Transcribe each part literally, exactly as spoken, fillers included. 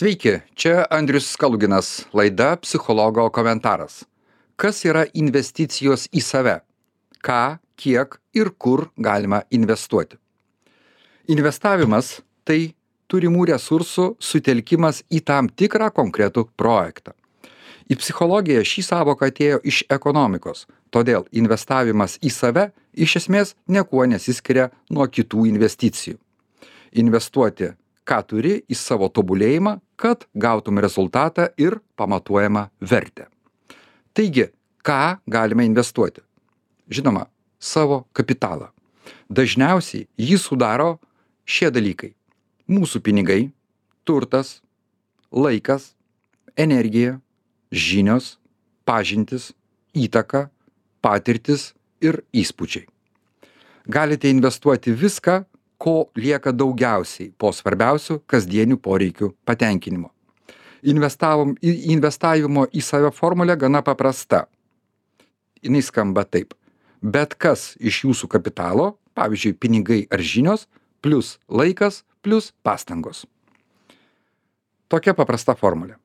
Sveiki, čia Andrius Skaluginas, laida Psichologo komentaras. Kas yra investicijos į save? Ką, kiek ir kur galima investuoti? Investavimas – tai turimų resursų sutelkimas į tam tikrą konkretų projektą. Į psichologiją šį sąvoką atėjo iš ekonomikos, todėl investavimas į save iš esmės niekuo nesiskiria nuo kitų investicijų. Investuoti ką turi į savo tobulėjimą, kad gautum rezultatą ir pamatuojamą vertę. Taigi, ką galime investuoti? Žinoma, savo kapitalą. Dažniausiai jį sudaro šie dalykai. Mūsų pinigai, turtas, laikas, energija, žinios, pažintis, įtaka, patirtis ir įspūdžiai. Galite investuoti viską, ko lieka daugiausiai po svarbiausių kasdienių poreikių patenkinimo. Investavom, investavimo į save formulė gana paprasta. Jis skamba taip. Bet kas iš jūsų kapitalo, pavyzdžiui, pinigai ar žinios, plus laikas, plus pastangos. Tokia paprasta formulė.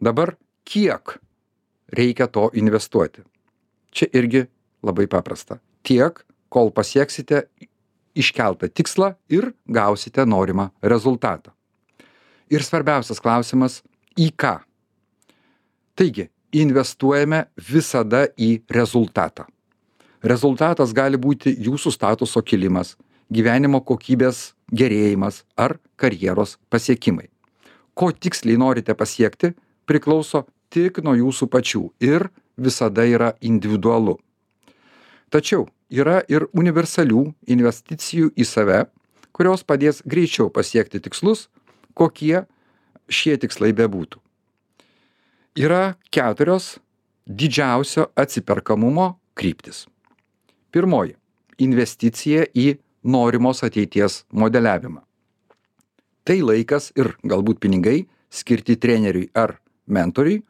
Dabar kiek reikia to investuoti? Čia irgi labai paprasta. Tiek, kol pasieksite iškeltą tikslą ir gausite norimą rezultatą. Ir svarbiausias klausimas – į ką? Taigi, investuojame visada į rezultatą. Rezultatas gali būti jūsų statuso kilimas, gyvenimo kokybės gerėjimas ar karjeros pasiekimai. Ko tiksliai norite pasiekti, priklauso tik nuo jūsų pačių ir visada yra individualu. Tačiau yra ir universalių investicijų į save, kurios padės greičiau pasiekti tikslus, kokie šie tikslai bebūtų. Yra keturios didžiausio atsiperkamumo kryptis. Pirmoji – investicija į norimos ateities modeliavimą. Tai laikas ir galbūt pinigai skirti treneriui ar mentoriui,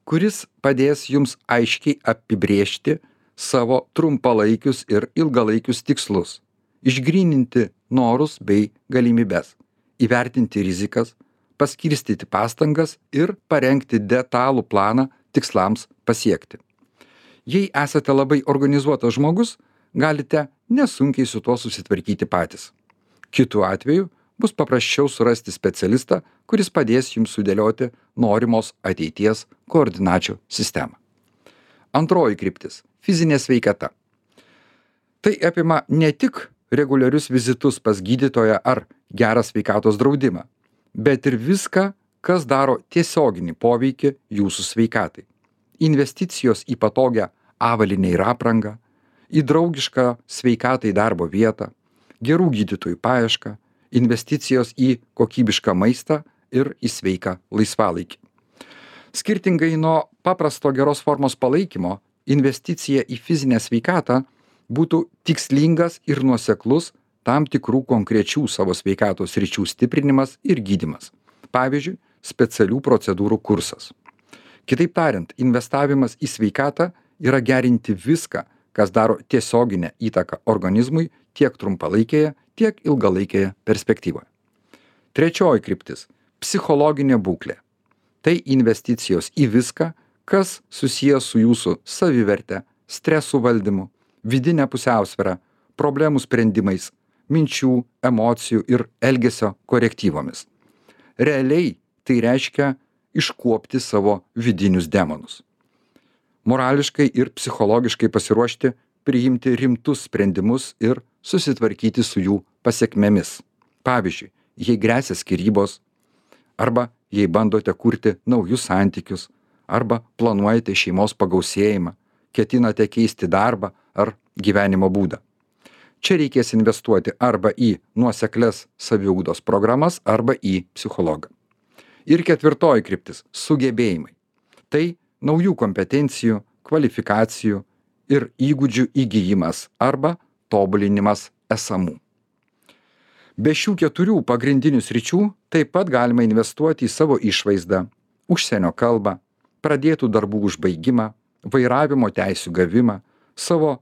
kuris padės jums aiškiai apibrėžti savo trumpalaikius ir ilgalaikius tikslus, išgryninti norus bei galimybes, įvertinti rizikas, paskirstyti pastangas ir parengti detalų planą tikslams pasiekti. Jei esate labai organizuotas žmogus, galite nesunkiai su tuo susitvarkyti patys. Kitu atveju bus paprasčiau surasti specialistą, kuris padės jums sudėlioti norimos ateities koordinačių sistemą. Antroji kryptis – fizinė sveikata. Tai apima ne tik reguliarius vizitus pas gydytoją ar gerą sveikatos draudimą, bet ir viską, kas daro tiesioginį poveikį jūsų sveikatai. Investicijos į patogią avalynę ir aprangą, į draugišką sveikatai darbo vietą, gerų gydytojų paiešką, investicijos į kokybišką maistą ir į sveiką laisvalaikį. Skirtingai nuo paprasto geros formos palaikymo, investicija į fizinę sveikatą būtų tikslingas ir nuoseklus tam tikrų konkrečių savo sveikatos sričių stiprinimas ir gydymas. Pavyzdžiui, specialių procedūrų kursas. Kitaip tariant, investavimas į sveikatą yra gerinti viską, kas daro tiesioginę įtaką organizmui tiek trumpalaikėje, tiek ilgalaikėje perspektyvoje. Trečioji kryptis – psichologinė būklė. Tai investicijos į viską, kas susijęs su jūsų saviverte, stresų valdymu, vidinė pusiausvėra, problemų sprendimais, minčių, emocijų ir elgesio korektyvomis. Realiai tai reiškia iškuopti savo vidinius demonus. Morališkai ir psichologiškai pasiruošti priimti rimtus sprendimus ir susitvarkyti su jų pasekmėmis. Pavyzdžiui, jei gresia skyrybos, arba jei bandote kurti naujus santykius, arba planuojate šeimos pagausėjimą, ketinate keisti darbą ar gyvenimo būdą. Čia reikės investuoti arba į nuoseklias saviugdos programas, arba į psichologą. Ir ketvirtoji kryptis – sugebėjimai. Tai naujų kompetencijų, kvalifikacijų ir įgūdžių įgijimas arba tobulinimas esamų. Be šių keturių pagrindinių sričių taip pat galima investuoti į savo išvaizdą, užsienio kalbą, pradėtų darbų užbaigimą, vairavimo teisių gavimą, savo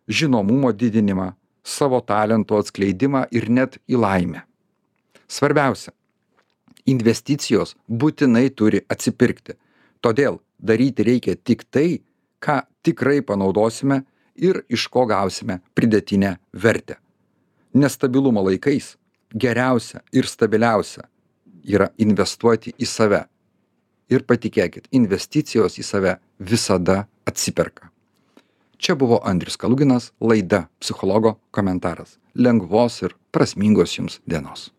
žinomumo didinimą, savo talento atskleidimą ir net į laimę. Svarbiausia Investicijos būtinai turi atsipirkti. Todėl daryti reikia tik tai, ką tikrai panaudosime ir iš ko gausime pridėtinę vertę. Nestabilumo laikais geriausia ir stabiliausia yra investuoti į save. Ir patikėkit, investicijos į save visada atsiperka. Čia buvo Andrius Kaluginas, laida Psichologo komentaras. Lengvos ir prasmingos jums dienos.